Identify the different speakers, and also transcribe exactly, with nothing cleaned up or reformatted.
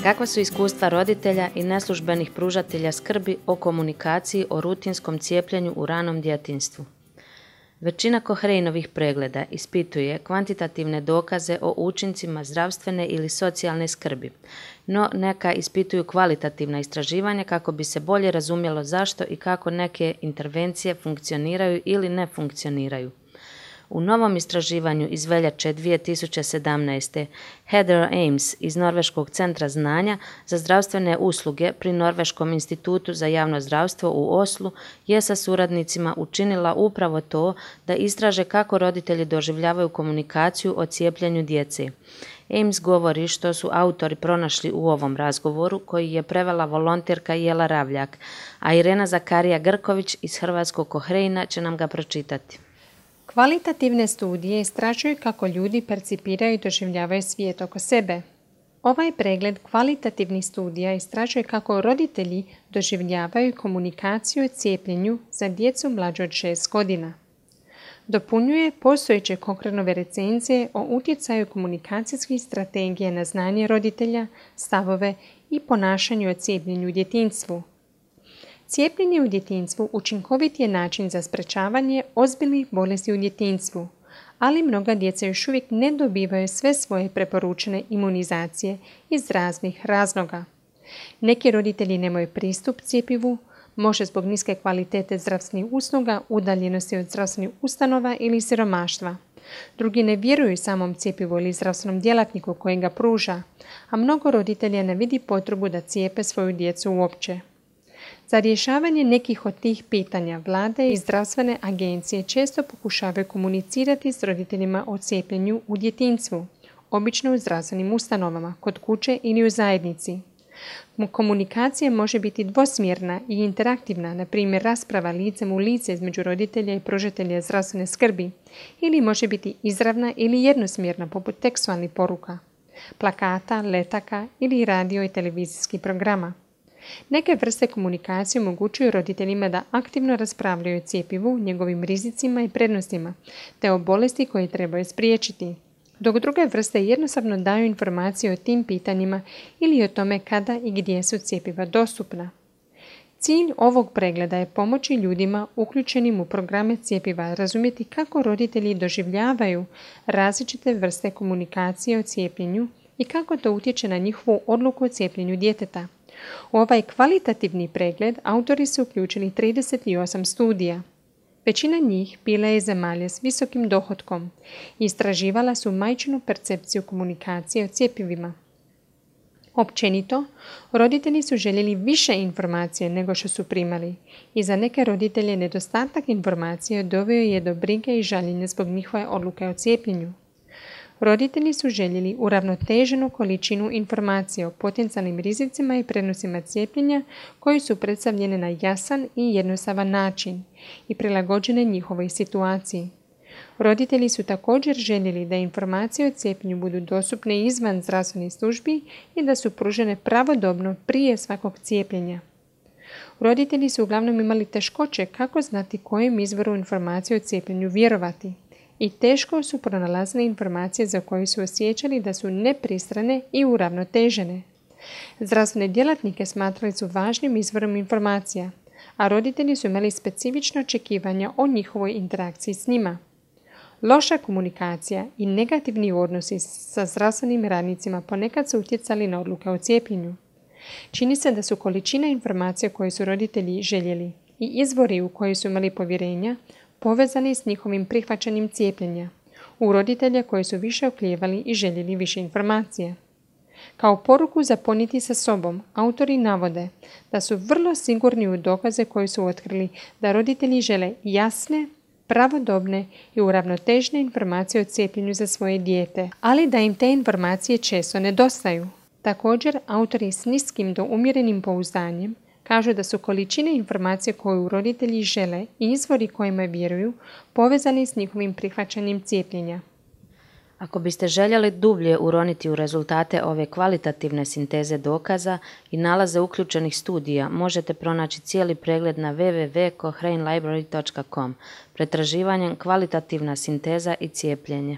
Speaker 1: Kakva su iskustva roditelja i neslužbenih pružatelja skrbi o komunikaciji o rutinskom cijepljenju u ranom djetinjstvu? Većina Cochraneovih pregleda ispituje kvantitativne dokaze o učincima zdravstvene ili socijalne skrbi, no neka ispituju kvalitativna istraživanja kako bi se bolje razumjelo zašto i kako neke intervencije funkcioniraju ili ne funkcioniraju. U novom istraživanju iz veljače dvije tisuće sedamnaeste. Heather Ames iz Norveškog centra znanja za zdravstvene usluge pri Norveškom institutu za javno zdravstvo u Oslu je sa suradnicima učinila upravo to da istraže kako roditelji doživljavaju komunikaciju o cijepljenju djece. Ames govori što su autori pronašli u ovom razgovoru koji je prevela volonterka Jela Ravljak, a Irena Zakarija Grković iz Hrvatskog Cochrana će nam ga pročitati.
Speaker 2: Kvalitativne studije istražuju kako ljudi percipiraju i doživljavaju svijet oko sebe. Ovaj pregled kvalitativnih studija istražuje kako roditelji doživljavaju komunikaciju o cijepljenju za djecu mlađu od šest godina. Dopunjuje postojeće Cochraneove recenzije o utjecaju komunikacijskih strategija na znanje roditelja, stavove i ponašanju o cijepljenju u djetinjstvu. Cijepljenje u djetinjstvu učinkovit je način za sprečavanje ozbiljnih bolesti u djetinjstvu, ali mnoga djeca još uvijek ne dobivaju sve svoje preporučene imunizacije iz raznih razloga. Neki roditelji nemaju pristup cjepivu, može zbog niske kvalitete zdravstvenih usluga, udaljenosti od zdravstvenih ustanova ili siromaštva. Drugi ne vjeruju samom cjepivu ili zdravstvenom djelatniku koji ga pruža, a mnogo roditelja ne vidi potrebu da cijepe svoju djecu uopće. Za rješavanje nekih od tih pitanja vlade i zdravstvene agencije često pokušavaju komunicirati s roditeljima o cijepljenju u djetinjstvu, obično u zdravstvenim ustanovama, kod kuće ili u zajednici. Komunikacija može biti dvosmjerna i interaktivna, na primjer rasprava licem u lice između roditelja i pružatelja zdravstvene skrbi, ili može biti izravna ili jednosmjerna poput tekstualnih poruka, plakata, letaka ili radio i televizijskih programa. Neke vrste komunikacije omogućuju roditeljima da aktivno raspravljaju o cjepivu, njegovim rizicima i prednostima, te o bolesti koje trebaju spriječiti, dok druge vrste jednostavno daju informacije o tim pitanjima ili o tome kada i gdje su cjepiva dostupna. Cilj ovog pregleda je pomoći ljudima uključenim u programe cjepiva razumjeti kako roditelji doživljavaju različite vrste komunikacije o cijepljenju i kako to utječe na njihovu odluku o cijepljenju djeteta. U ovaj kvalitativni pregled autori su uključili trideset osam studija. Većina njih bila je zemalja s visokim dohotkom i istraživala su majčinu percepciju komunikacije o cjepivima. Općenito, roditelji su željeli više informacije nego što su primali i za neke roditelje nedostatak informacije doveo je do brige i žaljenja zbog njihove odluke o cijepljenju. Roditelji su željeli uravnoteženu količinu informacija o potencijalnim rizicima i prednostima cijepljenja koji su predstavljene na jasan i jednostavan način i prilagođene njihovoj situaciji. Roditelji su također željeli da informacije o cijepljenju budu dostupne izvan zdravstvenih službi i da su pružene pravodobno prije svakog cijepljenja. Roditelji su uglavnom imali teškoće kako znati kojem izvoru informacije o cijepljenju vjerovati i teško su pronalazili informacije za koje su osjećali da su nepristrane i uravnotežene. Zdravstvene djelatnike smatrali su važnim izvorom informacija, a roditelji su imali specifična očekivanja o njihovoj interakciji s njima. Loša komunikacija i negativni odnosi sa zdravstvenim radnicima ponekad su utjecali na odluke o cijepljenju. Čini se da su količina informacija koje su roditelji željeli i izvori u koje su imali povjerenja povezani s njihovim prihvaćanjem cijepljenja, u roditelja koji su više oklijevali i željeli više informacija. Kao poruku za ponijeti sa sobom, autori navode da su vrlo sigurni u dokaze koje su otkrili da roditelji žele jasne, pravodobne i uravnotežene informacije o cijepljenju za svoje dijete, ali da im te informacije često nedostaju. Također, autori s niskim do umjerenim pouzdanjem kažu da su količine informacije koju roditelji žele i izvori kojima vjeruju povezani s njihovim prihvaćanjem cijepljenja.
Speaker 1: Ako biste željeli dublje uroniti u rezultate ove kvalitativne sinteze dokaza i nalaze uključenih studija, možete pronaći cijeli pregled na w w w točka cochrane library točka com pretraživanjem kvalitativna sinteza i cijepljenje.